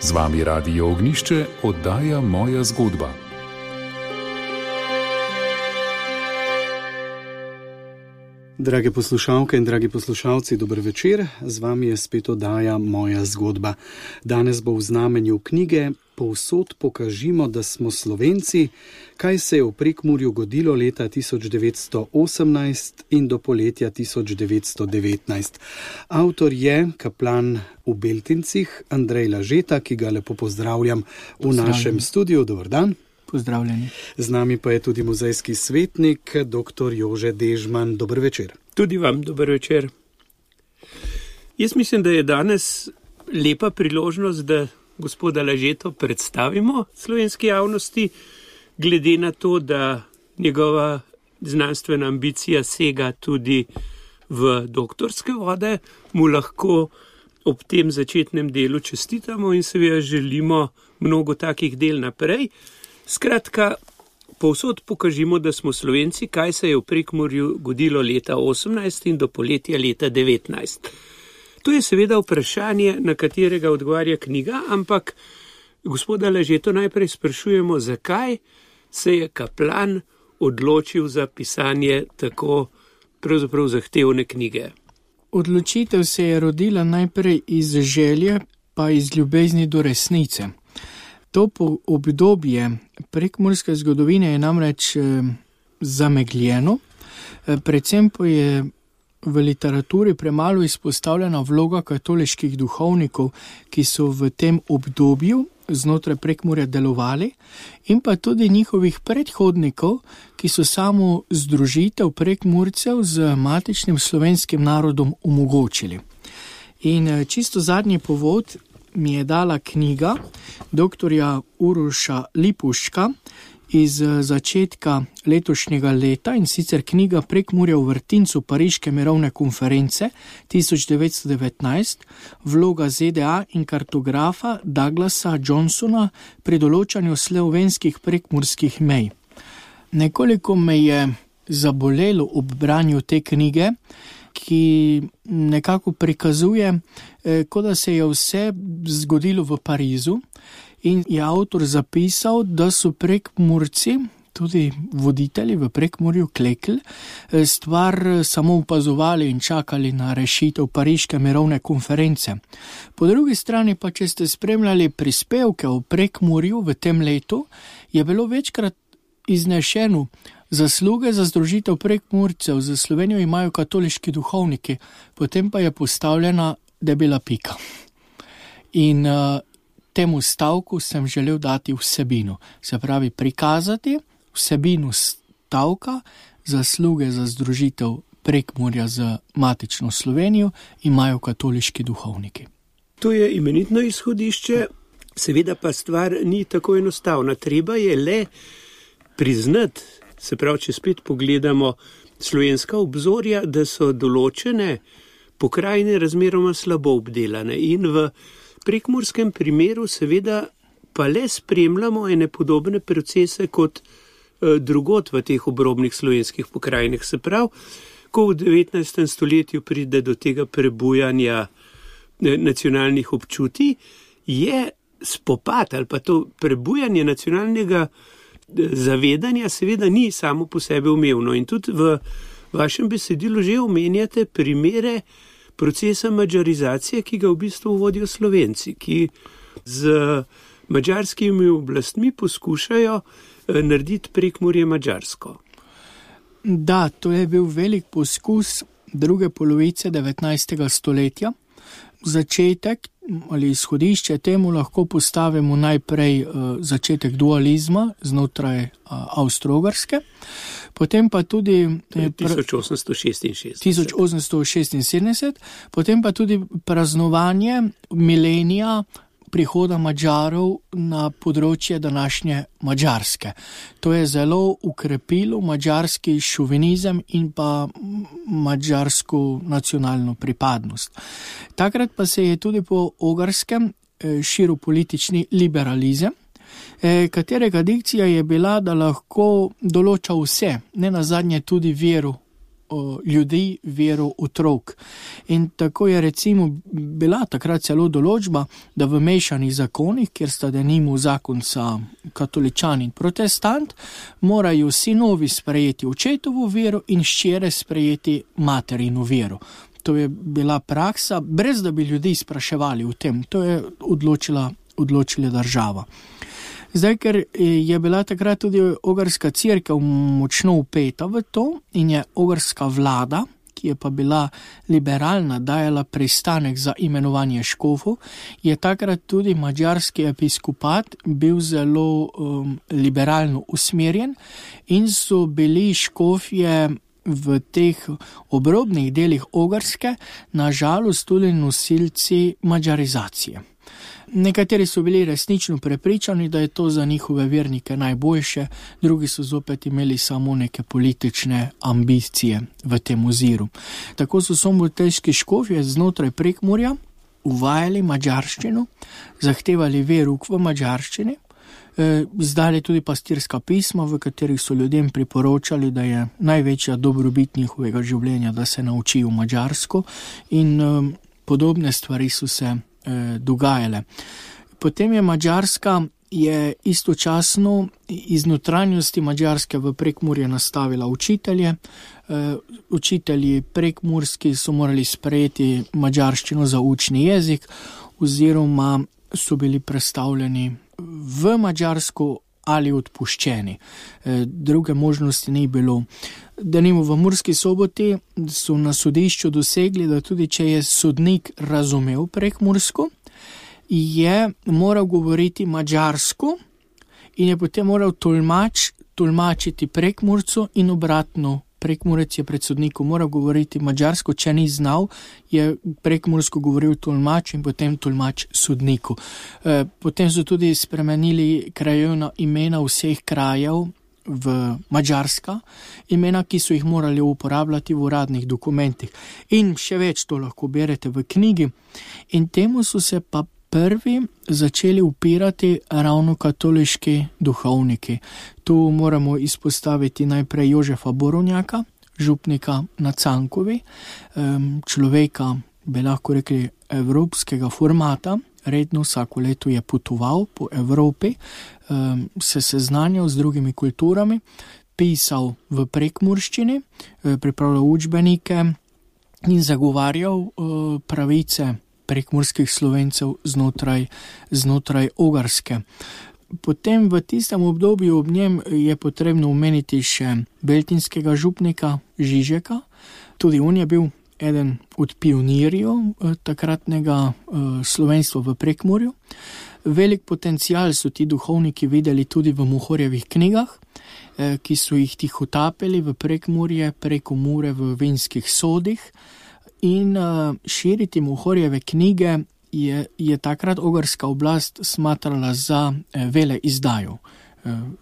Z vami Radio Ognjišče, oddaja Moja zgodba. Drage poslušalke in dragi poslušalci, dober večer. Z vami je spet oddaja Moja zgodba. Danes bo v znamenju knjige Povsod pokažimo, da smo Slovenci, kaj se je v Prekmurju godilo leta 1918 in do poletja 1919. Avtor je kaplan v Beltincih, Andrej Lažeta, ki ga lepo pozdravljam v našem studiu. Dober dan. Pozdravljeni. Z nami pa je tudi muzejski svetnik, dr. Jože Dežman. Dober večer. Tudi vam dober večer. Jaz mislim, da je danes lepa priložnost, da gospoda Lažeto predstavimo slovenski javnosti, glede na to, da njegova znanstvena ambicija sega tudi v doktorske vode, mu lahko ob tem začetnem delu čestitamo in seveda želimo mnogo takih del naprej. Skratka, povsod pokažimo, da smo Slovenci, kaj se je v Prekmurju godilo leta 18 in do poletja leta 19. To je seveda vprašanje, na katerega odgovarja knjiga, ampak gospoda Lažeto najprej sprašujemo, zakaj se je kaplan odločil za pisanje tako pravzaprav zahtevne knjige. Odločitev se je rodila najprej iz želje, pa iz ljubezni do resnice. To obdobje prekmurske zgodovine je namreč zamegljeno, predvsem pa je v literaturi premalo izpostavljena vloga katoliških duhovnikov, ki so v tem obdobju znotraj Prekmurja delovali, in pa tudi njihovih predhodnikov, ki so samo združitev Prekmurcev z matičnim slovenskim narodom omogočili. In čisto zadnji povod mi je dala knjiga doktorja Uroša Lipuška iz začetka letošnjega leta, in sicer knjiga Prekmurje v vrtincu Pariške mirovne konference 1919, vloga ZDA in kartografa Douglasa Johnsona pri določanju slovenskih prekmurskih mej. Nekoliko me je zabolelo ob branju te knjige, ki nekako prikazuje, kot da se je vse zgodilo v Parizu, in je avtor zapisal, da so Prekmurci, tudi voditelji v Prekmurju, klekli, stvar samo opazovali in čakali na rešitev Pariške mirovne konference. Po drugi strani pa, če ste spremljali prispevke o Prekmurju v tem letu, je bilo večkrat iznešeno, zasluge za združitev Prekmurcev za Slovenijo imajo katoliški duhovniki, potem pa je postavljena debela pika. In temu stavku sem želel dati vsebino, se pravi prikazati vsebino stavka, zasluge za združitev Prekmurja z matično Slovenijo imajo katoliški duhovniki. To je imenitno izhodišče, seveda pa stvar ni tako enostavna. Treba je le priznati, se pravi, če spet pogledamo slovenska obzorja, da so določene pokrajine razmeroma slabo obdelane, in v prekmurskem primeru seveda pa le spremljamo ene podobne procese kot drugod v teh obrobnih slovenskih pokrajinah. Se pravi, ko v 19. stoletju pride do tega prebujanja nacionalnih občutij, je spopad ali pa to prebujanje nacionalnega zavedanja seveda ni samo po sebi umevno. In tudi v vašem besedilu že omenjate primere procesa madžarizacije, ki ga v bistvu vodijo Slovenci, ki z madžarskimi oblastmi poskušajo narediti Prekmurje madžarsko. Da, to je bil velik poskus druge polovice 19. stoletja. Začetek ali izhodišče temu lahko postavimo najprej začetek dualizma znotraj Avstro-Ogrske, potem pa tudi 1876, potem pa tudi praznovanje milenija prihoda Madžarov na področje današnje Madžarske. To je zelo ukrepilo madžarski šovinizem in pa madžarsko nacionalno pripadnost. Takrat pa se je tudi po Ogrskem širil politični liberalizem, katerega dikcija je bila, da lahko določa vse, ne nazadnje tudi vero ljudi, vero otrok. In tako je recimo bila takrat celo določba, da v mešanih zakonih, kjer sta denimo zakonca katoličan in protestant, morajo sinovi sprejeti očetovo vero in hčere sprejeti materino vero. To je bila praksa, brez da bi ljudi spraševali o tem. To je odločila država. Zdaj, ker je bila takrat tudi ogrska cerkev močno vpeta v to in je ogrska vlada, ki je pa bila liberalna, dajala pristanek za imenovanje škofov, je takrat tudi madžarski episkopat bil zelo liberalno usmerjen in so bili škofje v teh obrobnih delih Ogrske nažalost tudi nosilci madžarizacije. Nekateri so bili resnično prepričani, da je to za njihove vernike najboljše, drugi so zopet imeli samo neke politične ambicije v tem oziru. Tako so soboteljski škofje znotraj Prekmurja uvajali madžarščino, zahtevali verouk v madžarščini, izdali tudi pastirska pisma, v katerih so ljudem priporočali, da je največja dobrobit njihovega življenja, da se naučijo madžarsko in podobne stvari so se dogajale. Potem je Madžarska istočasno iz notranjosti Madžarske v Prekmurje nastavila učitelje. Učitelji prekmurski so morali sprejeti madžarščino za učni jezik oziroma so bili prestavljeni v Madžarsko ali odpuščeni. Druge možnosti ni bilo. Denimo v Murski Soboti so na sodišču dosegli, da tudi če je sodnik razumel prekmursko, je moral govoriti madžarsko in je potem moral tolmačiti Prekmurcu in obratno. Prekmurec je pred sodnikom moral govoriti madžarsko, če ni znal, je prekmursko govoril tolmač in potem tolmač sodniku. Potem so tudi spremenili krajevna imena vseh krajev v madžarska, imena, ki so jih morali uporabljati v uradnih dokumentih. In še več to lahko berete v knjigi. In temu so se pa prvi začeli upirati ravno katoliški duhovniki. Tu moramo izpostaviti najprej Jožefa Borovnjaka, župnika na Cankovi, človeka, bi lahko rekli, evropskega formata. Redno vsako leto je potoval po Evropi, se seznanjal z drugimi kulturami, pisal v prekmurščini, pripravljal učbenike in zagovarjal pravice prekmurskih Slovencev znotraj Ogrske. Potem v tistem obdobju ob njem je potrebno omeniti še beltinskega župnika Žižeka. Tudi on je bil eden od pionirjev takratnega slovenstva v Prekmurju. Velik potencial so ti duhovniki videli tudi v Mohorjevih knjigah, ki so jih tihotapili v Prekmurje preko Mure v vinskih sodih. In širiti Mohorjeve knjige je takrat ogrska oblast smatrala za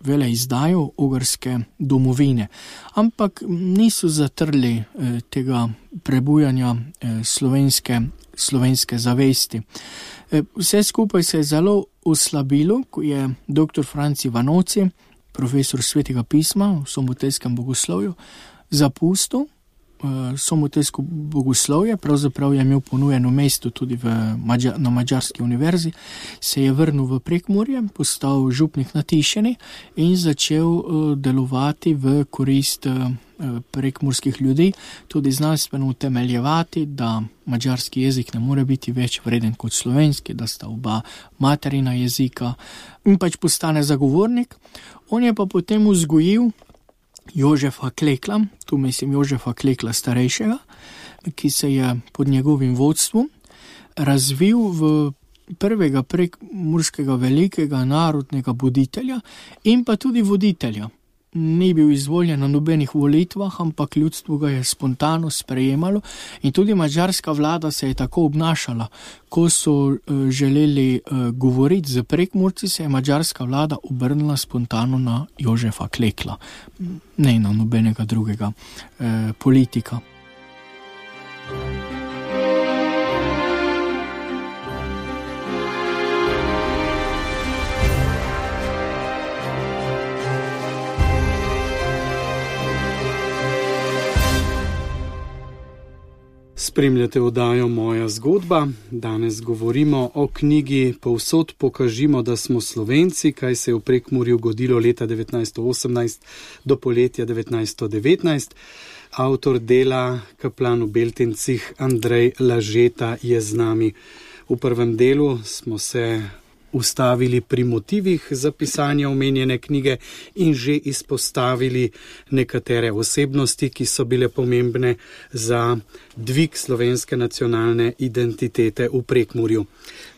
veleizdajo ogrske domovine. Ampak niso zatrli tega prebujanja slovenske zavesti. Vse skupaj se je zelo oslabilo, ko je dr. Franci Vanoci, profesor svetega pisma v soboteljskem bogoslovju, zapustil soboteljsko bogoslovje, pravzaprav je imel ponujeno mesto tudi na Madžarski univerzi, se je vrnil v Prekmurje, postal župnik na Tišini in začel delovati v korist prekmurskih ljudi, tudi znanstveno utemeljevati, da madžarski jezik ne more biti več vreden kot slovenski, da sta oba materina jezika, in pač postane zagovornik. On je pa potem vzgojil Jožefa Klekla, tu mislim Jožefa Klekla starejšega, ki se je pod njegovim vodstvom razvil v prvega prekmurskega velikega narodnega buditelja in pa tudi voditelja. Ni bil izvoljen na nobenih volitvah, ampak ljudstvo ga je spontano sprejemalo in tudi madžarska vlada se je tako obnašala. Ko so želeli govoriti z Prekmurci, se je madžarska vlada obrnila spontano na Jožefa Klekla, ne na nobenega drugega politika. Spremljate oddajo Moja zgodba. Danes govorimo o knjigi Povsod pokažimo, da smo Slovenci, kaj se je v Prekmurju godilo leta 1918 do poletja 1919. Avtor dela, kaplan v Beltincih, Andrej Lažeta je z nami. V prvem delu smo se ustavili pri motivih za pisanje omenjene knjige in že izpostavili nekatere osebnosti, ki so bile pomembne za dvig slovenske nacionalne identitete v Prekmurju.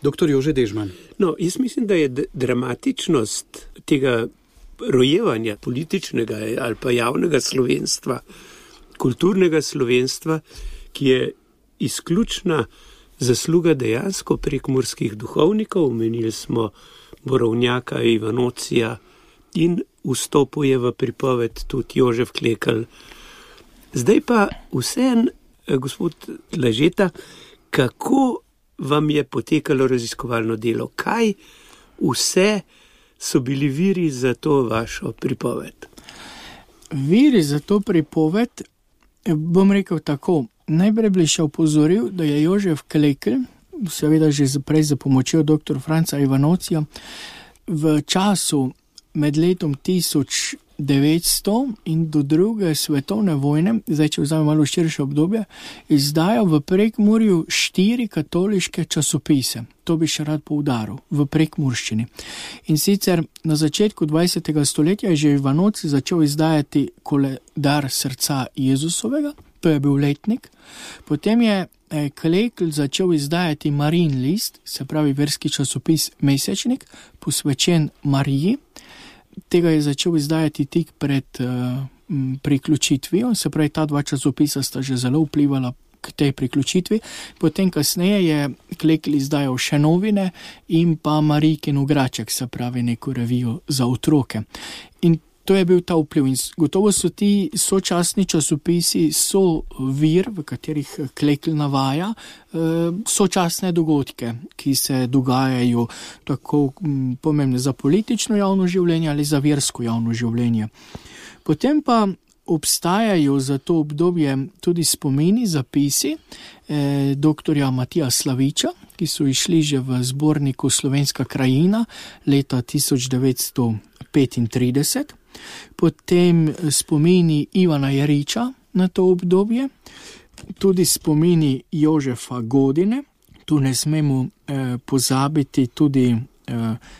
Dr. Jože Dežman. Jaz mislim, da je dramatičnost tega rojevanja političnega ali pa javnega slovenstva, kulturnega slovenstva, ki je izključna zasluga dejansko prekmurskih duhovnikov, omenili smo Borovnjaka, Ivanocija in vstopuje v pripoved tudi Jožef Klekl. Zdaj pa vseeno, gospod Lažeta, kako vam je potekalo raziskovalno delo? Kaj vse so bili viri za to vašo pripoved? Viri za to pripoved, bom rekel tako, najprej bi še opozoril, da je Jožef Klekl, seveda že prej za pomočjo dr. Franca Ivanocija, v času med letom 1900 in do druge svetovne vojne, zdaj če vzame malo širše obdobje, izdajal v Prekmurju 4 katoliške časopise. To bi še rad poudaril, v prekmurščini. In sicer na začetku 20. stoletja je že Ivanoci začel izdajati koledar srca Jezusovega, to je bil letnik. Potem je Klekl začel izdajati Marijin list, se pravi verski časopis Mesečnik, posvečen Mariji. Tega je začel izdajati tik pred priključitvijo, se pravi ta 2 časopisa sta že zelo vplivala k tej priključitvi. Potem kasneje je Klekl izdajal še novine in pa Marijkin igraček, se pravi neko revijo za otroke. In to je bil ta vpliv in gotovo so ti sočasni časopisi vir, v katerih Klekl navaja sočasne dogodke, ki se dogajajo tako pomembne za politično javno življenje ali za versko javno življenje. Potem pa obstajajo za to obdobje tudi spomini, zapisi doktorja Matija Slaviča, ki so išli že v zborniku Slovenska krajina leta 1935. Potem spomini Ivana Jeriča na to obdobje, tudi spomini Jožefa Godine, tu ne smemo pozabiti tudi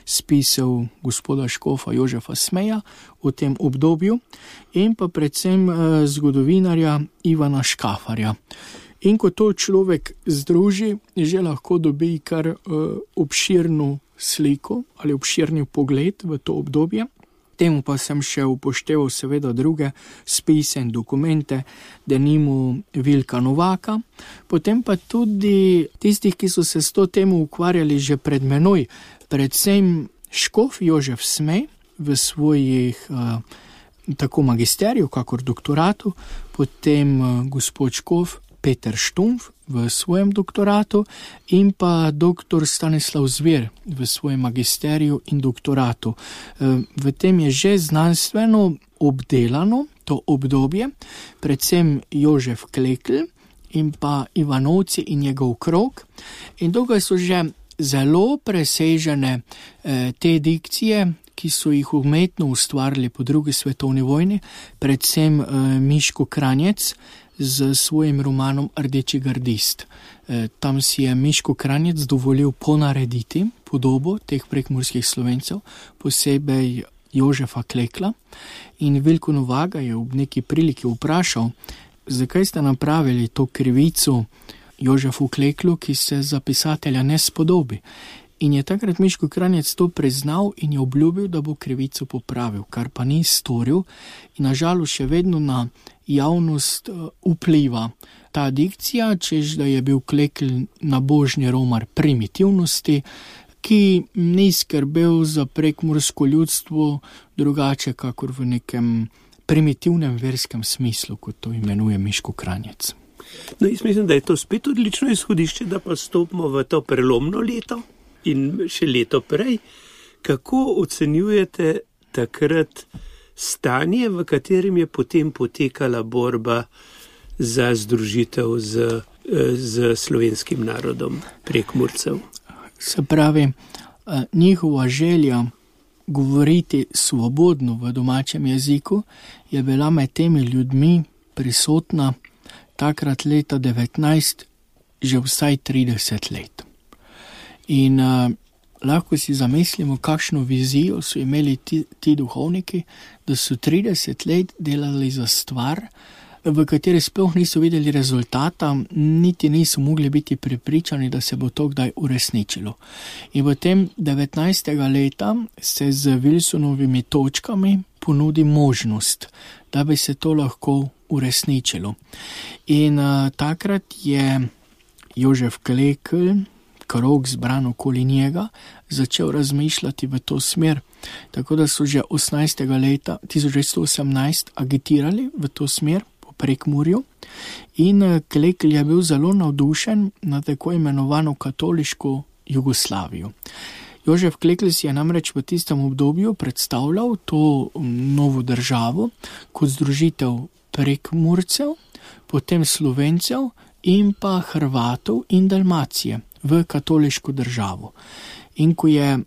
spisov gospoda škofa Jožefa Smeja v tem obdobju in pa predvsem zgodovinarja Ivana Škafarja. In ko to človek združi, že lahko dobi kar obširno sliko ali obširni pogled v to obdobje. Temu pa sem še upošteval seveda druge spise in dokumente, denimo Vilka Novaka, potem pa tudi tistih, ki so se s to temo ukvarjali že pred menoj, predvsem škof Jožef Smej v svojih tako magisteriju, kakor doktoratu, potem gospod škof Peter Štumpf v svojem doktoratu in pa dr. Stanislav Zver v svojem magisteriju in doktoratu. V tem je že znanstveno obdelano to obdobje, predvsem Jožef Klekl in pa Ivanovci in njegov krog. In tukaj so že zelo presežene te dikcije, ki so jih umetno ustvarili po drugi svetovni vojni, predvsem Miško Kranjec z svojim romanom Rdeči gardist. Tam si je Miško Kranjec dovolil ponarediti podobo teh prekmurskih Slovencev, posebej Jožefa Klekla. In Vilko Novaga je v neki priliki vprašal, zakaj ste napravili to krivico Jožefu Kleklu, ki se za pisatelja ne spodobi. In je takrat Miško Kranjec to priznal in je obljubil, da bo krivico popravil, kar pa ni storil in nažalost še vedno na javnost vpliva ta dikcija, češ da je bil Klekl nabožni romar primitivnosti, ki ni skrbel za prekmursko ljudstvo drugače, kakor v nekem primitivnem verskem smislu, kot to imenuje Miško Kranjec. Jaz mislim, da je to spet odlično izhodišče, da pa stopimo v to prelomno leto in še leto prej. Kako ocenjujete takrat stanje, v katerem je potem potekala borba za združitev z z slovenskim narodom Prekmurcev. Se pravi, njihova želja govoriti svobodno v domačem jeziku je bila med temi ljudmi prisotna takrat leta 19, že vsaj 30 let. In lahko si zamislimo, kakšno vizijo so imeli ti duhovniki, da so 30 let delali za stvar, v kateri sploh niso videli rezultata, niti niso mogli biti prepričani, da se bo to kdaj uresničilo. In potem 19. leta se z Wilsonovimi točkami ponudi možnost, da bi se to lahko uresničilo. In takrat je Jožef Klekl, krog zbran okoli njega, začel razmišljati v to smer. Tako da so že 18. leta 1918 agitirali v to smer po Prekmurju in Klekl je bil zelo navdušen na tako imenovano katoliško Jugoslavijo. Jožef Klekl si je namreč v tistem obdobju predstavljal to novo državo kot združitev Prekmurcev, potem Slovencev in pa Hrvatov in Dalmacije v katoliško državo. In ko je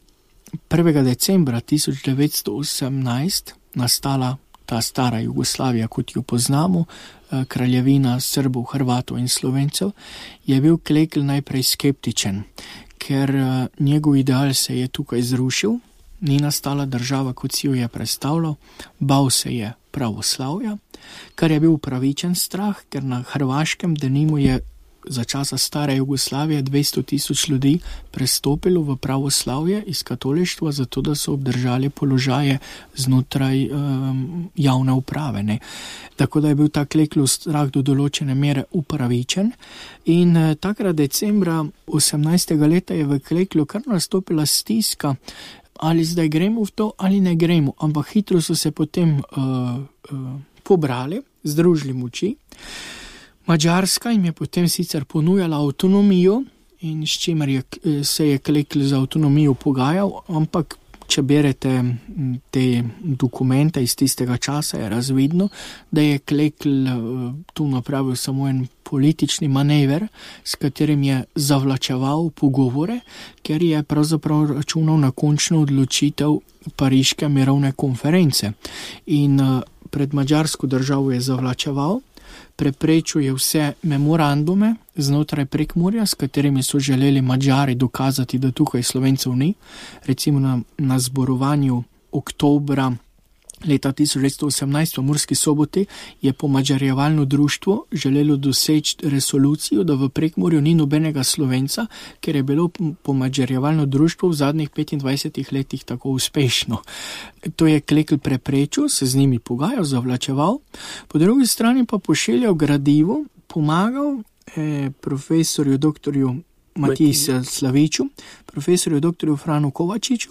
1. decembra 1918 nastala ta stara Jugoslavija, kot jo poznamo, kraljevina Srbov, Hrvatov in Slovencev, je bil Klekl najprej skeptičen, ker njegov ideal se je tukaj zrušil, ni nastala država, kot si jo je predstavljal, bal se je pravoslavja, kar je bil upravičen strah, ker na Hrvaškem denimo je za časa stare Jugoslavije 200,000 ljudi prestopilo v pravoslavje iz katolištva, zato da so obdržali položaje znotraj javne uprave. Ne. Tako da je bil ta Kleklov strah do določene mere upravičen in takrat decembra 18. leta je v Kleklu kar nastopila stiska, ali zdaj gremo v to ali ne gremo, ampak hitro so se potem pobrali, združili moči. Madžarska jim je potem sicer ponujala avtonomijo in s čimer se je Klekl za avtonomijo pogajal, ampak če berete te dokumente iz tistega časa, je razvidno, da je Klekl tu napravil samo en politični manever, s katerim je zavlačeval pogovore, ker je pravzaprav računal na končno odločitev Pariške mirovne konference. In pred madžarsko državo je zavlačeval, preprečuje vse memorandume znotraj Prekmurja, s katerimi so želeli Madžari dokazati, da tukaj Slovencev ni. Recimo na zborovanju oktobra leta 1918 v Murski Soboti je pomadžarjevalno društvo želelo doseči resolucijo, da v Prekmurju ni nobenega Slovenca, ker je bilo pomadžarjevalno društvo v zadnjih 25 letih tako uspešno. To je Klekl preprečil, se z njimi pogajal, zavlačeval, po drugi strani pa pošiljal gradivo, pomagal profesorju doktorju Matiji Slaviču, profesorju doktorju Franu Kovačiču,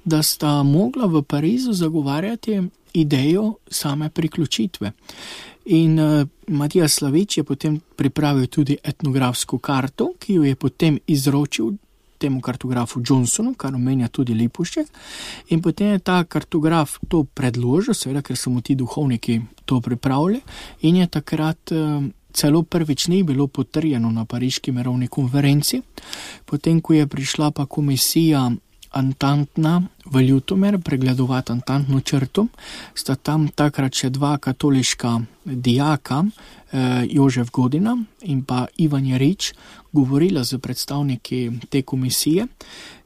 da sta mogla v Parizu zagovarjati idejo same priključitve. In Matija Slavič je potem pripravil tudi etnografsko karto, ki jo je potem izročil temu kartografu Johnsonu, kar omenja tudi Lipušček, in potem je ta kartograf to predložil, seveda, ker so mu ti duhovniki to pripravili, in je takrat celo prvič ni bilo potrjeno na Pariški mirovni konferenci. Potem, ko je prišla pa komisija Antantna v Ljutomer pregledovati Antantno črto, sta tam takrat še dva katoliška dijaka, Jožef Godina in pa Ivan Jarič, govorila z predstavniki te komisije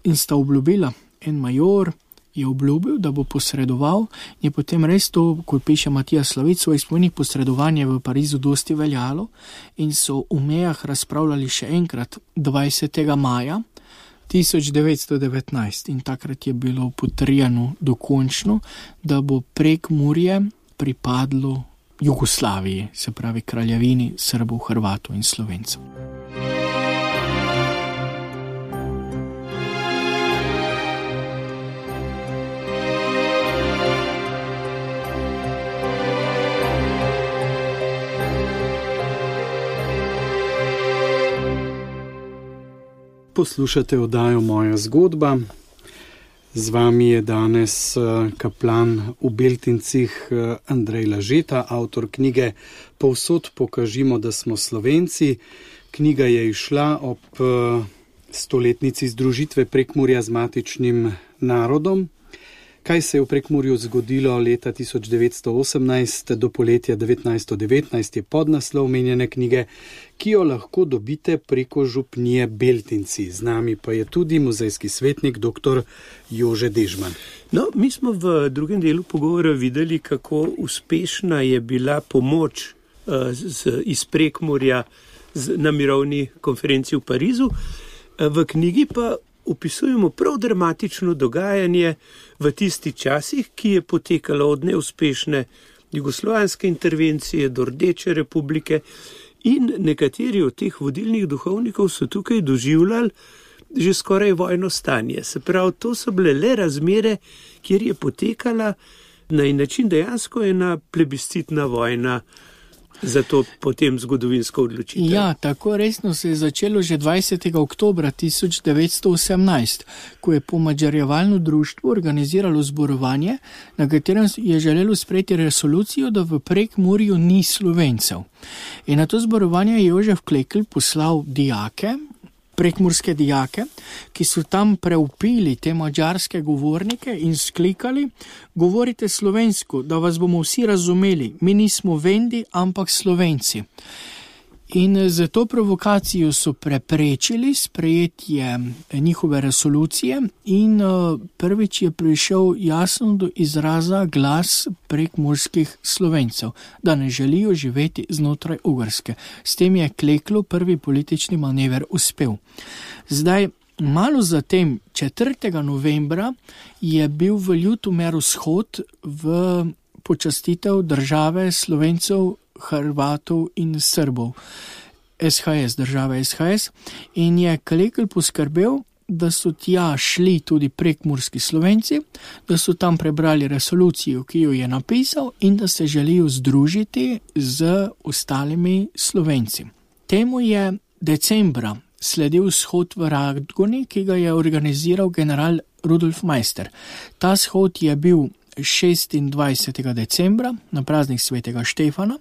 in sta obljubila, en major je obljubil, da bo posredoval, je potem res to, kot piše Matija Slavič, svojih spomenih posredovanje v Parizu dosti veljalo in so v mejah razpravljali še enkrat 20. maja 1919 in takrat je bilo potrjeno dokončno, da bo Prekmurje pripadlo Jugoslaviji, se pravi kraljevini Srbov, Hrvatov in Slovencev. Poslušate oddajo Moja zgodba. Z vami je danes kaplan v Beltincih Andrej Lažeta, avtor knjige Povsod pokažimo, da smo Slovenci, Knjiga je izšla ob 100-letnici združitve Prekmurja z matičnim narodom. Kaj se je v Prekmurju zgodilo leta 1918 do poletja 1919 je podnaslov omenjene knjige, ki jo lahko dobite preko župnije Beltinci. Z nami pa je tudi muzejski svetnik dr. Jože Dežman. No, mi smo v drugem delu pogovora videli, kako uspešna je bila pomoč iz Prekmurja na mirovni konferenci v Parizu. V knjigi pa opisujemo prav dramatično dogajanje v tistih časih, ki je potekalo od neuspešne jugoslovanske intervencije do Rdeče republike, in nekateri od teh vodilnih duhovnikov so tukaj doživljali že skoraj vojno stanje. Se pravi, to so bile le razmere, kjer je potekala na en način dejansko ena plebiscitna vojna za to potem zgodovinsko odločitev. Ja, tako resno se je začelo že 20. oktobra 1918, ko je pomadžarjevalno društvo organiziralo zborovanje, na katerem je želelo sprejeti resolucijo, da v Prekmurju ni Slovencev. In na to zborovanje je Jožef Klekl poslal dijake, prekmurske dijake, ki so tam preupili te madžarske govornike in sklikali: govorite slovensko, da vas bomo vsi razumeli, mi nismo Vendi, ampak Slovenci. In za to provokacijo so preprečili sprejetje njihove resolucije in prvič je prišel jasno do izraza glas prekmurskih Slovencev, da ne želijo živeti znotraj Ogrske. S tem je Kleklu prvi politični manever uspel. Zdaj, malo zatem, 4. novembra, je bil v Ljutomeru shod v počastitev države Slovencev, Hrvatov in Srbov, SHS, država SHS, in je Klekl poskrbel, da so tja šli tudi prekmurski Slovenci, da so tam prebrali resolucijo, ki jo je napisal, in da se želijo združiti z ostalimi Slovenci. Temu je decembra sledil shod v Radgoni, ki ga je organiziral general Rudolf Meister. Ta shod je bil 26. decembra na praznik svetega Štefana,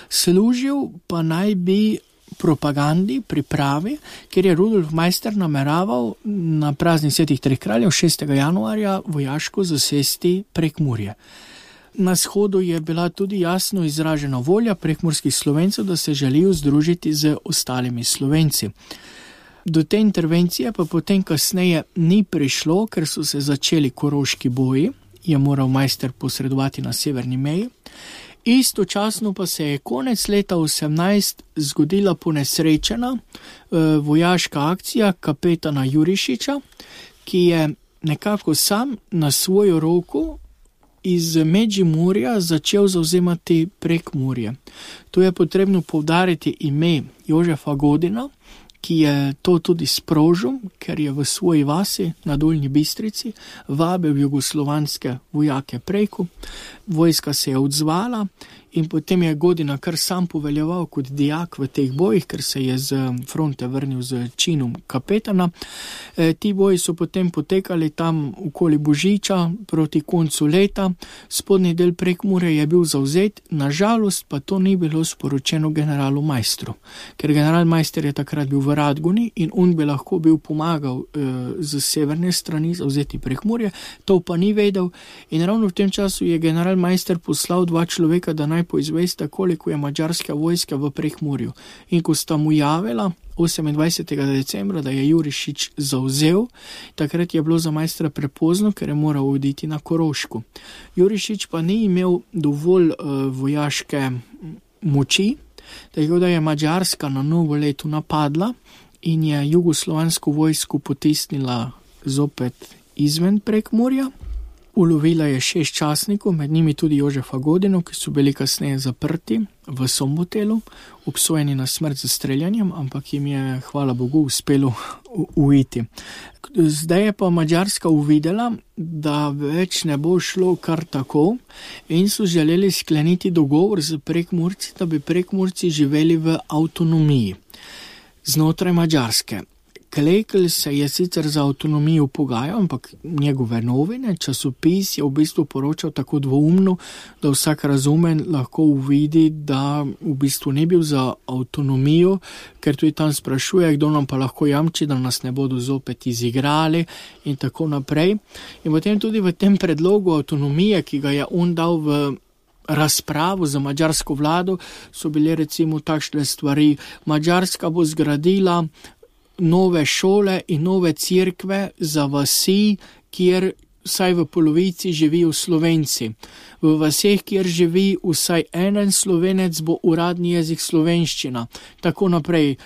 služil pa naj bi propagandi, pripravi, ker je Rudolf Meister nameraval na praznik svetih treh kraljev 6. januarja vojaško zasesti Prekmurje. Na shodu je bila tudi jasno izražena volja prekmurskih Slovencev, da se želijo združiti z ostalimi Slovenci. Do te intervencije pa potem kasneje ni prišlo, ker so se začeli koroški boji, je moral Meister posredovati na severni meji. Istočasno pa se je konec leta 18 zgodila ponesrečena vojaška akcija kapetana Jurišiča, ki je nekako sam na svojo roko iz Međimurja začel zavzemati Prekmurje. Tu je potrebno poudariti ime Jožefa Godina, ki je to tudi sprožil, ker je v svoji vasi na Dolnji Bistrici vabil jugoslovanske vojake preko. Vojska se je odzvala in potem je Godina kar sam poveljeval kot dijak v teh bojih, ker se je z fronte vrnil z činom kapetana. Ti boji so potem potekali tam okoli Božiča proti koncu leta. Spodnji del Prekmurja je bil zavzet, nažalost pa to ni bilo sporočeno generalu Meistru, ker general Meister je takrat bil v Radgoni in on bi lahko bil pomagal z severne strani zavzeti Prekmurje, to pa ni vedel in ravno v tem času je general Meister poslal 2 človeka, da naj poizvesta, koliko je madžarska vojska v Prekmurju. In ko sta mu javila 28. decembra, da je Jurišič zavzel, takrat je bilo za Meistra prepozno, ker je moral oditi na Koroško. Jurišič pa ni imel dovolj vojaške moči, tako da je Madžarska na novo leto napadla in je jugoslovansko vojsko potisnila zopet izven Prekmurja. Ulovila je 6 častnikov, med njimi tudi Jožefa Godino, ki so bili kasneje zaprti v Sombotelu, obsojeni na smrt z streljanjem, ampak jim je, hvala Bogu, uspelo uiti. Zdaj je pa Madžarska uvidela, da več ne bo šlo kar tako in so želeli skleniti dogovor z Prekmurci, da bi Prekmurci živeli v avtonomiji znotraj Madžarske. Klekl se je sicer za avtonomijo pogajal, ampak njegove novine, časopis je v bistvu poročal tako dvoumno, da vsak razumen lahko uvidi, da v bistvu ne bil za avtonomijo, ker tudi tam sprašuje, kdo nam pa lahko jamči, da nas ne bodo zopet izigrali in tako naprej. In potem tudi v tem predlogu avtonomije, ki ga je on dal v razpravo za madžarsko vlado, so bile recimo takšne stvari. Madžarska bo zgradila nove šole in nove cerkve za vasi, kjer vsaj v polovici živijo Slovenci. V vaseh, kjer živi vsaj en Slovenec, bo uradni jezik slovenščina. Tako naprej.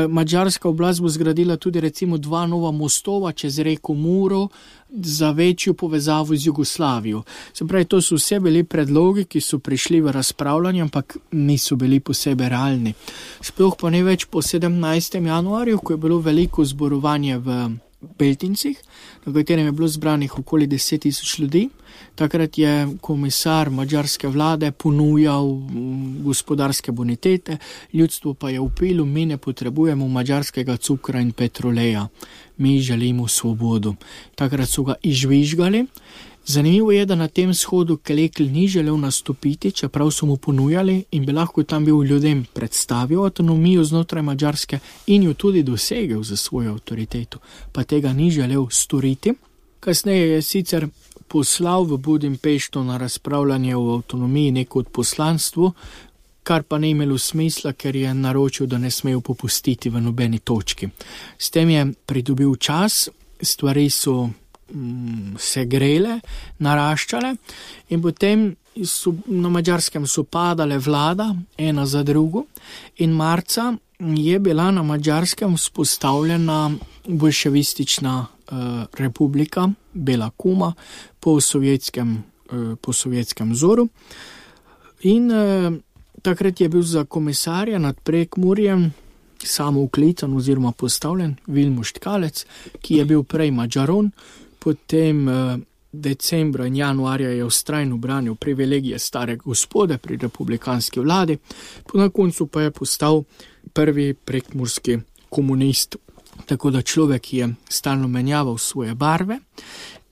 Madžarska oblast bo zgradila tudi recimo 2 nova mostova čez reko Muro za večjo povezavo z Jugoslavijo. Se pravi, to so vse bili predlogi, ki so prišli v razpravljanje, ampak niso bili posebej realni. Sploh pa ne več po 17. januarju, ko je bilo veliko zborovanje v Beltincih, na katerem je bilo zbranih okoli 10,000 ljudi. Takrat je komisar madžarske vlade ponujal gospodarske bonitete, ljudstvo pa je vpilo, mi ne potrebujemo madžarskega cukra in petroleja, mi želimo svobodo. Takrat so ga izžvižgali. Zanimivo je, da na tem shodu Klekl ni želel nastopiti, čeprav so mu ponujali in bi lahko tam bil ljudem predstavil avtonomijo znotraj Madžarske in jo tudi dosegel za svojo avtoriteto, pa tega ni želel storiti. Kasneje je sicer poslal v Budimpešto na razpravljanje o avtonomiji neko odposlanstvo, kar pa ne imelo smisla, ker je naročil, da ne smejo popustiti v nobeni točki. S tem je pridobil čas, stvari so se grele, naraščale in potem na Madžarskem so padale vlada, ena za drugo, in marca je bila na Madžarskem vzpostavljena bolševistična republika, Bela Kuma, po sovjetskem vzoru. In takrat je bil za komisarja nad Prekmurjem samouklican oziroma postavljen Vilmos Tkalec, ki je bil prej Madžaron. Potem decembra in januarja je vztrajno branil privilegije stare gospode pri republikanski vladi, na koncu pa je postal prvi prekmurski komunist, tako da človek je stalno menjaval svoje barve.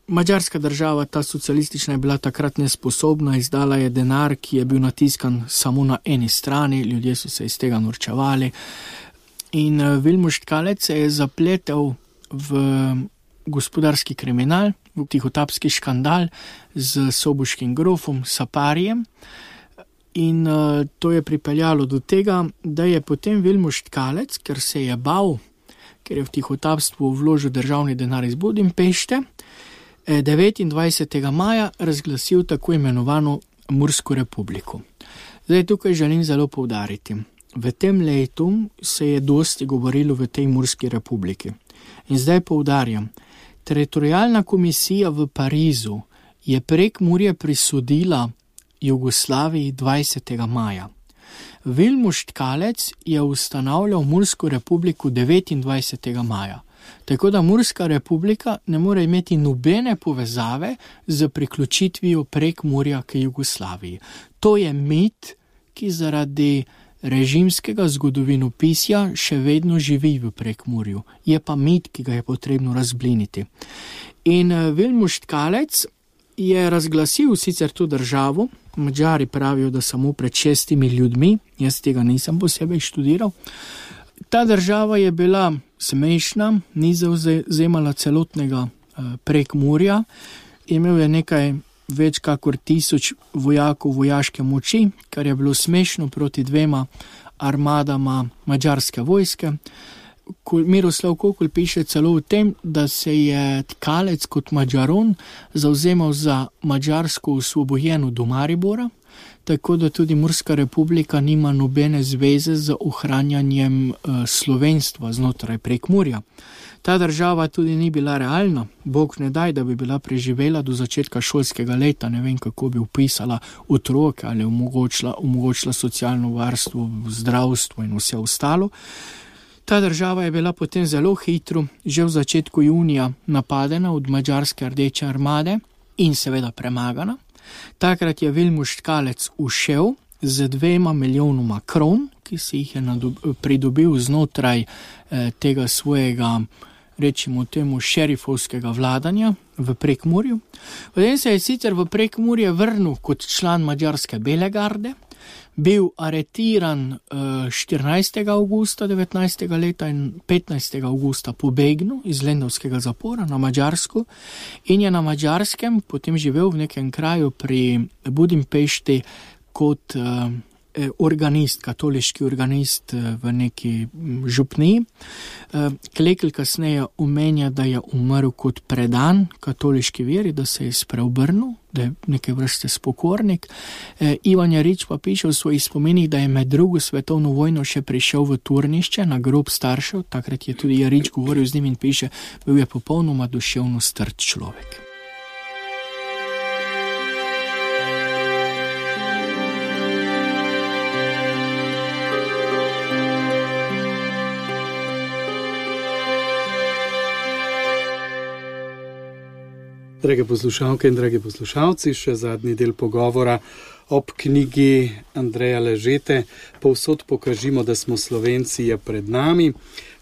Madžarska država, ta socialistična, je bila takrat nesposobna, izdala je denar, ki je bil natiskan samo na eni strani, ljudje so se iz tega norčevali. In Vilmos Tkalec se je zapletel v gospodarski kriminal, v tihotapski škandal z soboškim grofom Saparijem. In to je pripeljalo do tega, da je potem Vilmos Tkalec, ker se je bal, ker je v tihotapstvu vložil državni denar iz Budimpešte, 29. maja razglasil tako imenovano Mursko republiko. Zdaj tukaj želim zelo poudariti. V tem letu se je dosti govorilo v tej Murski republiki. In zdaj poudarjam, teritorijalna komisija v Parizu je Prekmurje prisodila Jugoslaviji 20. maja. Vilmos Tkalec je ustanavljal Mursko republiko 29. maja. Tako da Murska republika ne more imeti nobene povezave z priključitvijo Prekmurja k Jugoslaviji. To je mit, ki zaradi režimskega zgodovinopisja še vedno živi v Prekmurju. Je pa mit, ki ga je potrebno razbliniti. In Vilmos Tkalec je razglasil sicer to državo, Madžari pravijo, da samo pred 6 ljudmi, jaz tega nisem posebej študiral. Ta država je bila smešna, ni zavzemala celotnega Prekmurja, imel je nekaj več kakor 1000 vojakov vojaške moči, kar je bilo smešno proti 2 armadama madžarske vojske. Miroslav Kokl piše celo o tem, da se je Tkalec kot Madžaron zavzemal za madžarsko osvobojeno do Maribora, tako da tudi Murska republika nima nobene zveze z ohranjanjem slovenstva znotraj Prekmurja. Ta država tudi ni bila realna, Bog ne daj, da bi bila preživela do začetka šolskega leta, ne vem, kako bi upisala otroke ali omogočila socialno varstvo, zdravstvo in vse ostalo. Ta država je bila potem zelo hitro, že v začetku junija, napadena od madžarske rdeče armade in seveda premagana. Takrat je Vilmos Tkalec ušel z 2 milijonoma kron, ki ki si jih je pridobil znotraj tega svojega, rečimo temu, šerifovskega vladanja v Prekmurju. Potem se je sicer v Prekmurje vrnil kot član madžarske Bele garde, bil aretiran 14. augusta 19. leta in 15. augusta pobegnil iz Lendavskega zapora na Madžarsko in je na Madžarskem potem živel v nekem kraju pri Budimpešti kot organist, katoliški organist v neki župniji. Klekl kasneje omenja, da je umrl kot predan katoliški veri, da se je spreobrnil, da je neke vrste spokornik. Ivan Jarič pa piše v svojih spominih, da je med drugo svetovno vojno še prišel v Turnišče na grob staršev, takrat je tudi Jarič govoril z njim in piše, bil je popolnoma duševno strt človek. Drage poslušalke in dragi poslušalci, še zadnji del pogovora ob knjigi Andreja Ležete Povsod pokažimo, da smo Slovenci, je pred nami.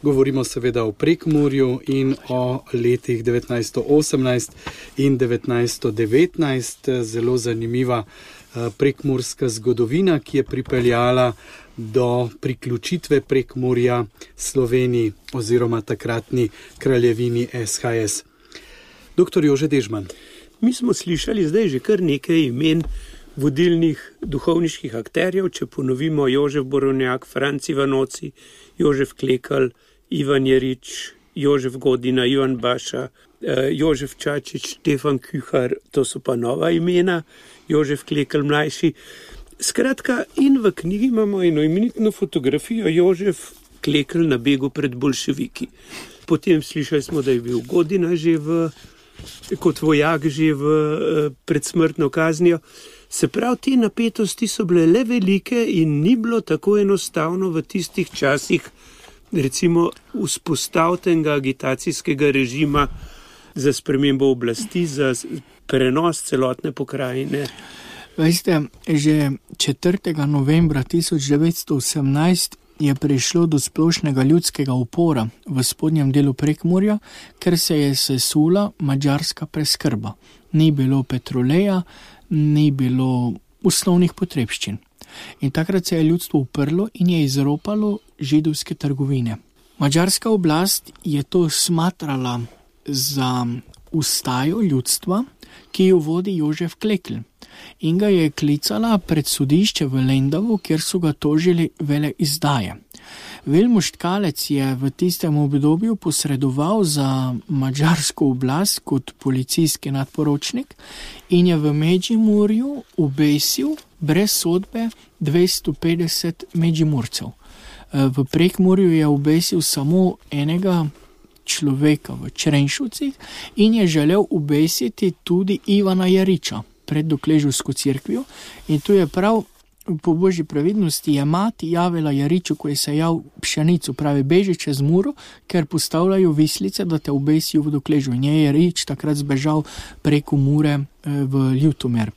Govorimo seveda o Prekmurju in o letih 1918 in 1919. Zelo zanimiva prekmurska zgodovina, ki je pripeljala do priključitve Prekmurja Sloveniji oziroma takratni kraljevini SHS. Doktor Jože Dežman. Mi smo slišali zdaj že kar nekaj imen vodilnih duhovniških akterjev, če ponovimo Jožef Borovnjak, Franc Ivanoci, Jožef Klekl, Ivan Jarič, Jožef Godina, Ivan Baša, Jožef Čačič, Štefan Kühar, to so pa nova imena, Jožef Klekl mlajši. Skratka, in v knjigi imamo eno imenitno fotografijo Jožef Klekl na begu pred boljševiki. Potem slišali smo, da je bil Godina že kot vojak že pred smrtno kaznijo. Se pravi, te napetosti so bile le velike in ni bilo tako enostavno v tistih časih, recimo, vzpostavljenega agitacijskega režima za spremembo oblasti, za prenos celotne pokrajine. Veste, že 4. novembra 1918 je prišlo do splošnega ljudskega upora v spodnjem delu Prekmurja, ker se je sesula madžarska preskrba. Ni bilo petroleja, ni bilo osnovnih potrebščin. In takrat se je ljudstvo uprlo in je izropalo židovske trgovine. Madžarska oblast je to smatrala za ustajo ljudstva, ki jo vodi Jožef Klekl. In ga je klicala pred sodišče v Lendavu, kjer so ga tožili veleizdaje. Vilmos Tkalec je v tistem obdobju posredoval za madžarsko oblast kot policijski nadporočnik in je v Međimurju obesil brez sodbe 250 Međimurcev. V Prekmurju je obesil samo enega človeka v Črenšovcih in je želel obesiti tudi Ivana Jariča pred Dokleževsko cerkvijo. In tu je prav po božji previdnosti je mati javila Jariču, ko je sejal pšenico, pravi, beži čez Muro, ker postavljajo vislice, da te obesijo v Dokležu. In je Jarič takrat zbežal preko Mure v Ljutomer.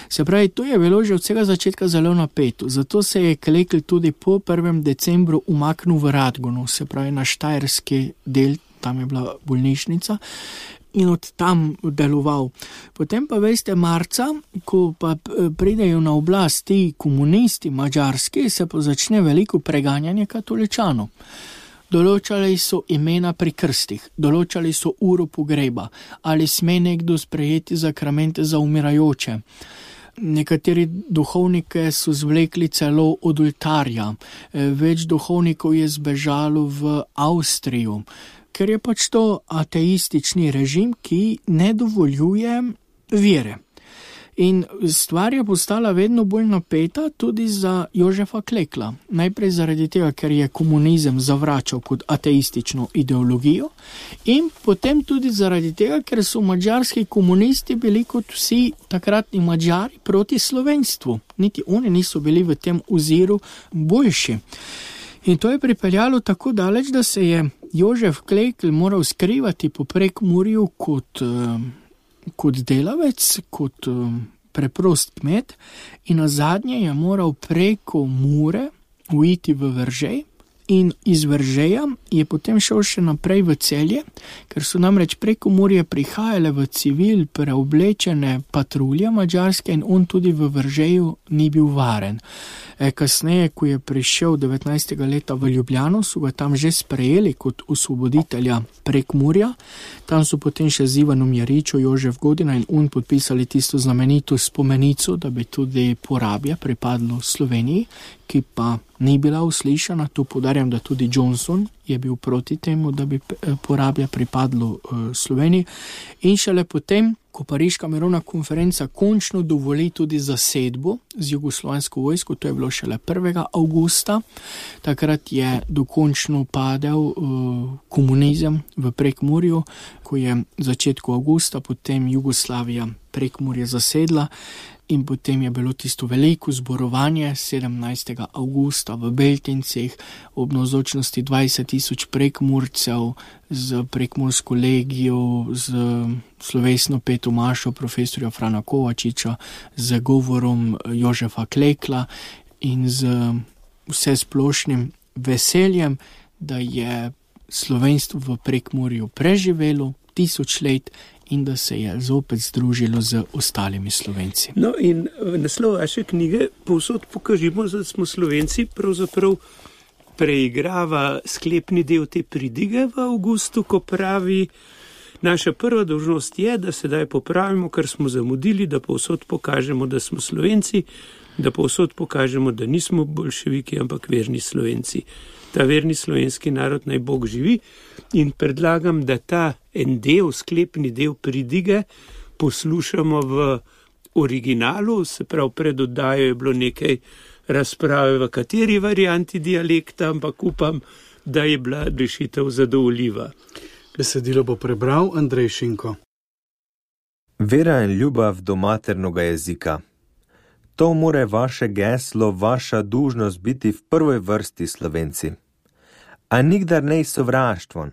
Se pravi, to je bilo že od vsega začetka zelo napeto. Zato se je Klekl tudi po 1. decembru umaknil v Radgonu, se pravi na štajerski del, tam je bila bolnišnica, in od tam deloval. Potem pa veste, marca, ko pa pridejo na oblast ti komunisti madžarski, se pa začne veliko preganjanje katoličanov. Določali so imena pri krstih, določali so uro pogreba, ali sme nekdo sprejeti zakramente za umirajoče. Nekateri duhovnike so zvlekli celo od oltarja, več duhovnikov je zbežalo v Avstrijo, ker je pač to ateistični režim, ki ne dovoljuje vere. In stvar je postala vedno bolj napeta tudi za Jožefa Klekla. Najprej zaradi tega, ker je komunizem zavračal kot ateistično ideologijo, in potem tudi zaradi tega, ker so madžarski komunisti bili kot vsi takratni Madžari proti slovenstvu. Niti oni niso bili v tem oziru boljši. In to je pripeljalo tako daleč, da se je Jožef Klekl moral skrivati po Prekmurju kot delavec, kot preprost kmet, in nazadnje je moral preko Mure uiti v Veržej in iz Veržeja je potem šel še naprej v Celje, ker so namreč preko Murje prihajale v civil preoblečene patrulje mađarske in on tudi v Veržeju ni bil varen. Kasneje, ko je prišel 19. leta v Ljubljano, so ga tam že sprejeli kot osvoboditelja Prekmurja. Tam so potem še z Ivanom Jaričo, Jožef Godina in on podpisali tisto znamenito spomenico, da bi tudi Porabja pripadlo Sloveniji, ki pa ni bila uslišana. Tu podarjam, da tudi Johnson je bil proti temu, da bi Porabja pripadlo Sloveniji. In šele potem, ko Pariška mirovna konferenca končno dovoli tudi zasedbo z jugoslovansko vojsko, to je bilo šele 1. avgusta, takrat je dokončno padel komunizem v Prekmurju, ko je v začetku avgusta potem Jugoslavija Prekmurje zasedla. In potem je bilo tisto veliko zborovanje 17. avgusta v Beltincih ob navzočnosti 20.000 prekmurcev z prekmursko legijo, z slovesno peto mašo profesorja Frana Kovačiča, z govorom Jožefa Klekla in z vse splošnim veseljem, da je slovenstvo v Prekmurju preživelo 1000 let in da se je zopet združilo z ostalimi Slovenci. No in naslov vaše knjige Povsod pokažimo, da smo Slovenci, pravzaprav preigrava sklepni del te pridige v avgustu, ko pravi: naša prva dolžnost je, da sedaj popravimo, kar smo zamudili, da povsod pokažemo, da smo Slovenci, da povsod pokažemo, da nismo boljševiki, ampak verni Slovenci. Ta verni slovenski narod naj Bog živi, in predlagam, da ta en del, sklepni del pridige poslušamo v originalu, se pravi pred oddajo je bilo nekaj razprave, v kateri varianti dialekta, ampak upam, da je bila rešitev zadovoljiva. Besedilo bo prebral Andrej Šinko. Vera in ljubav do maternega jezika. To more vaše geslo, vaša dužnost biti v prvoj vrsti Slovenci. A nikdar nej sovraštvon.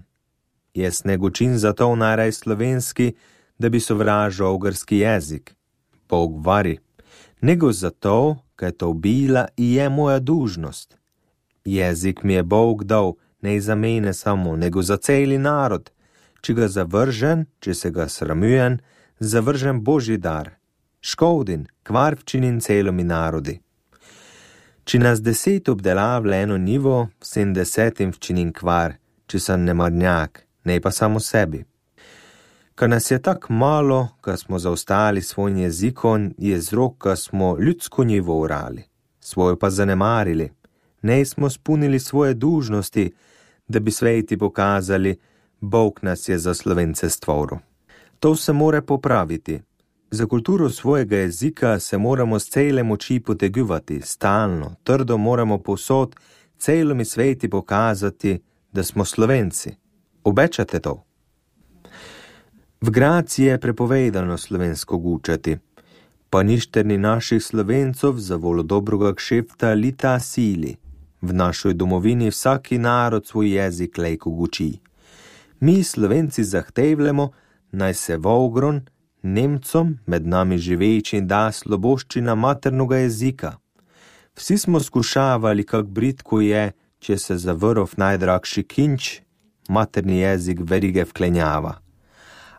Jaz ne gočin za to najraj slovenski, da bi sovražal ogrski jezik. Bog vari. Nego zato, kaj to bila i je moja dužnost. Jezik mi je Bog dal, ne za mene samo, nego za celi narod. Če ga zavržen, če se ga sramujen, zavržen Božji dar. Škodin, kvar včinin celomi narodi. Če nas 10 obdelavle eno nivo, 70 včinin kvar, če sem nemarnjak, ne pa samo sebi. Ka nas je tak malo, ka smo zaostali svojim jezikom, je vzrok, ka smo ljudsko nivo urali, svojo pa zanemarili. Ne smo spunili svoje dužnosti, da bi sveti pokazali, Bog nas je za Slovence stvoril. To se more popraviti. Za kulturo svojega jezika se moramo s cele moči potegivati, stalno, trdo moramo povsod celomi sveti pokazati, da smo Slovenci. Obečate to? V Graciji je prepovedano slovensko gučati, pa ništerni naših Slovencov za volo dobroga kšefta lita sili. V našoj domovini vsaki narod svoj jezik lejko guči. Mi Slovenci zahtevljamo, naj se Vogron Nemcom, med nami živeči, da sloboščina maternoga jezika. Vsi smo skušavali, kak britko je, če se za vrov najdragši kinč, materni jezik verige vklenjava.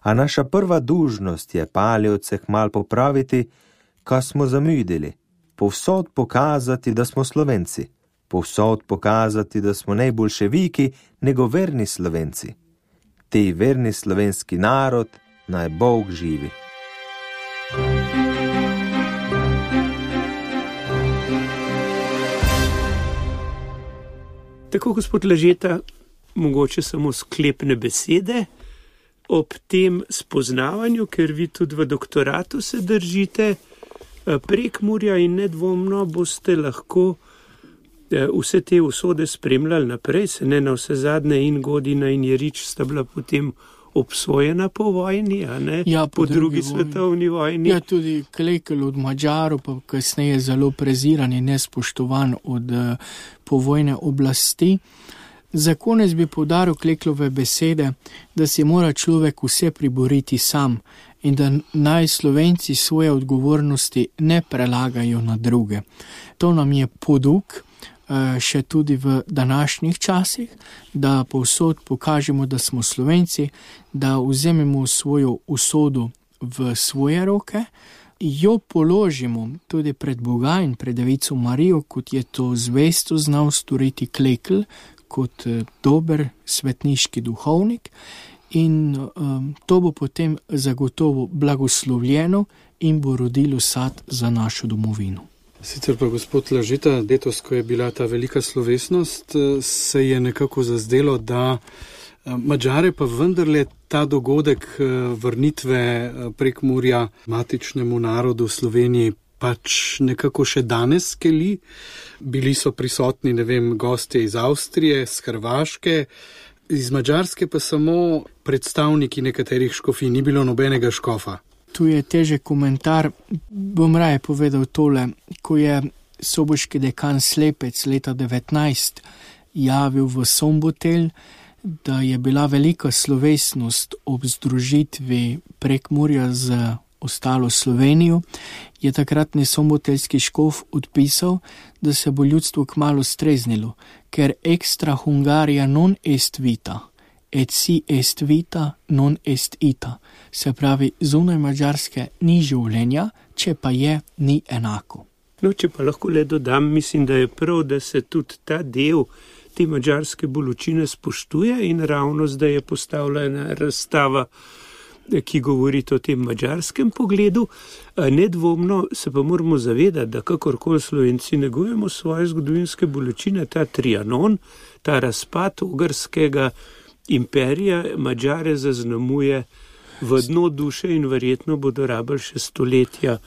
A naša prva dužnost je paljevce mal popraviti, ka smo zamudili, povsod pokazati, da smo Slovenci, povsod pokazati, da smo ne boljševiki, nego verni Slovenci. Tej verni slovenski narod, naj Bog živi. Tako, gospod Lažeta, mogoče samo sklepne besede ob tem spoznavanju, ker vi tudi v doktoratu se držite Prekmurja in nedvomno boste lahko vse te usode spremljali naprej, se ne na vse zadnje in Godina in Jerič sta bila potem obsojena po vojni, a ne? Ja, po drugi svetovni vojni. Ja, tudi Klekel od Mađarov, pa kasneje zelo preziran in nespoštovan od povojne oblasti. Za konec bi poudaril Kleklove besede, da si mora človek vse priboriti sam in da naj Slovenci svoje odgovornosti ne prelagajo na druge. To nam je poduk še tudi v današnjih časih, da povsod pokažemo, da smo Slovenci, da vzememo svojo usodo v svoje roke, jo položimo tudi pred Boga in pred Devico Marijo, kot je to zvesto znal storiti Klekl, kot dober svetniški duhovnik, in to bo potem zagotovo blagoslovljeno in bo rodilo sad za našo domovino. Sicer pa, gospod Lažeta, letos, ko je bila ta velika slovesnost, se je nekako zazdelo, da Madžare pa vendarle ta dogodek vrnitve Prekmurja matičnemu narodu Sloveniji pač nekako še danes skeli. Bili so prisotni, gostje iz Avstrije, iz Hrvaške, iz Madžarske pa samo predstavniki nekaterih škofij, ni bilo nobenega škofa. Tu je težek komentar, bom raje povedal tole, ko je soboški dekan Slepec leta 19 javil v Sombotelj, da je bila velika slovesnost ob združitvi Prekmurja z ostalo Slovenijo, je takratni somboteljski škof odpisal, da se bo ljudstvo kmalu streznilo, ker extra Hungaria non est vita, et si est vita non est ita. Se pravi, zunaj Madžarske ni življenja, če pa je, ni enako. No, če pa lahko le dodam, mislim, da je prav, da se tudi ta del te madžarske bolečine spoštuje in ravno zdaj je postavljena razstava, ki govori o tem madžarskem pogledu. Nedvomno se pa moramo zavedati, da kakorkoli Slovenci negujemo svoje zgodovinske bolečine, ta Trianon, ta razpad Ogrskega imperija Madžare zaznamuje v dno duše in verjetno bodo rabili še stoletja,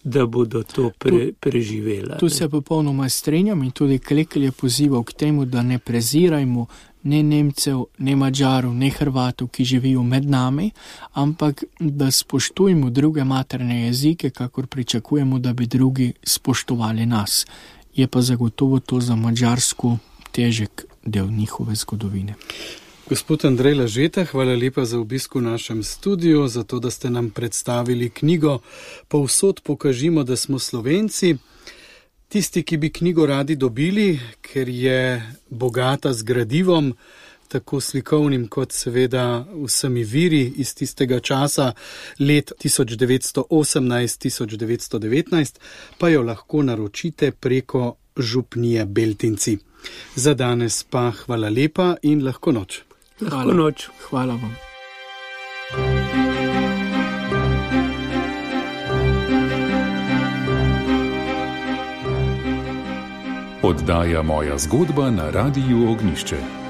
da bodo to preživela. Tu se popolnoma strinjam in tudi Klekl je pozival k temu, da ne prezirajmo ne Nemcev, ne Madžarov, ne Hrvatov, ki živijo med nami, ampak da spoštujemo druge materne jezike, kakor pričakujemo, da bi drugi spoštovali nas. Je pa zagotovo to za Madžarsko težek del njihove zgodovine. Gospod Andrej Lažeta, hvala lepa za obisk v našem studiu, za to, da ste nam predstavili knjigo Povsod pokažimo, da smo Slovenci. Tisti, ki bi knjigo radi dobili, ker je bogata z gradivom, tako slikovnim kot seveda vsemi viri iz tistega časa, let 1918-1919, pa jo lahko naročite preko župnije Beltinci. Za danes pa hvala lepa in lahko noč. Lahko noč. Hvala vam. Oddaja Moja zgodba na Radiu Ognjišče.